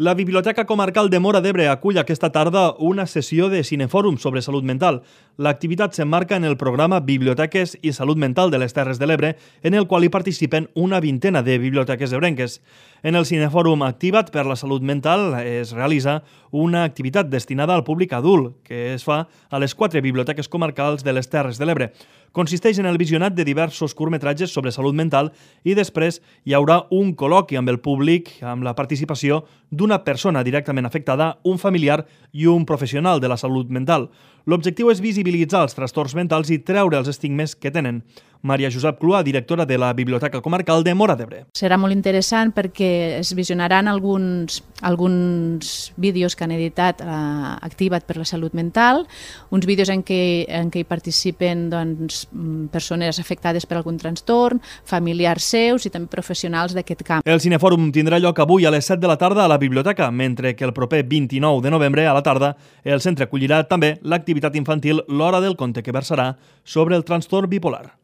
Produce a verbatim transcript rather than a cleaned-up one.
La Biblioteca Comarcal de Móra d'Ebre acull aquesta tarda una sessió de cinefòrum sobre salut mental. L'activitat s'emmarca en el programa Biblioteques i Salut Mental de les Terres de l'Ebre, en el qual hi participen una vintena de biblioteques ebrenques. En el cinefòrum activat per la salut mental es realitza una activitat destinada al públic adult, que es fa a les quatre biblioteques comarcals de les Terres de l'Ebre. Consisteix en el visionat de diversos curtmetratges sobre salut mental i després hi haurà un col·loqui amb el públic amb la participació d'una persona directament afectada, un familiar i un professional de la salut mental. L'objectiu és visibilitzar els trastorns mentals i treure els estigmes que tenen. Maria Josep Cluà, directora de la Biblioteca Comarcal de Móra d'Ebre. Serà molt interessant perquè es visionaran alguns, alguns vídeos que han editat eh, Activa't per la salut mental, uns vídeos en què, en què hi participen doncs, persones afectades per algun trastorn, familiars seus i també professionals d'aquest camp. El cinefòrum tindrà lloc avui a les set de la tarda a la biblioteca, mentre que el proper vint-i-nou de novembre a la tarda el centre acollirà també l'activitat infantil L'Hora del Conte, que versarà sobre el trastorn bipolar.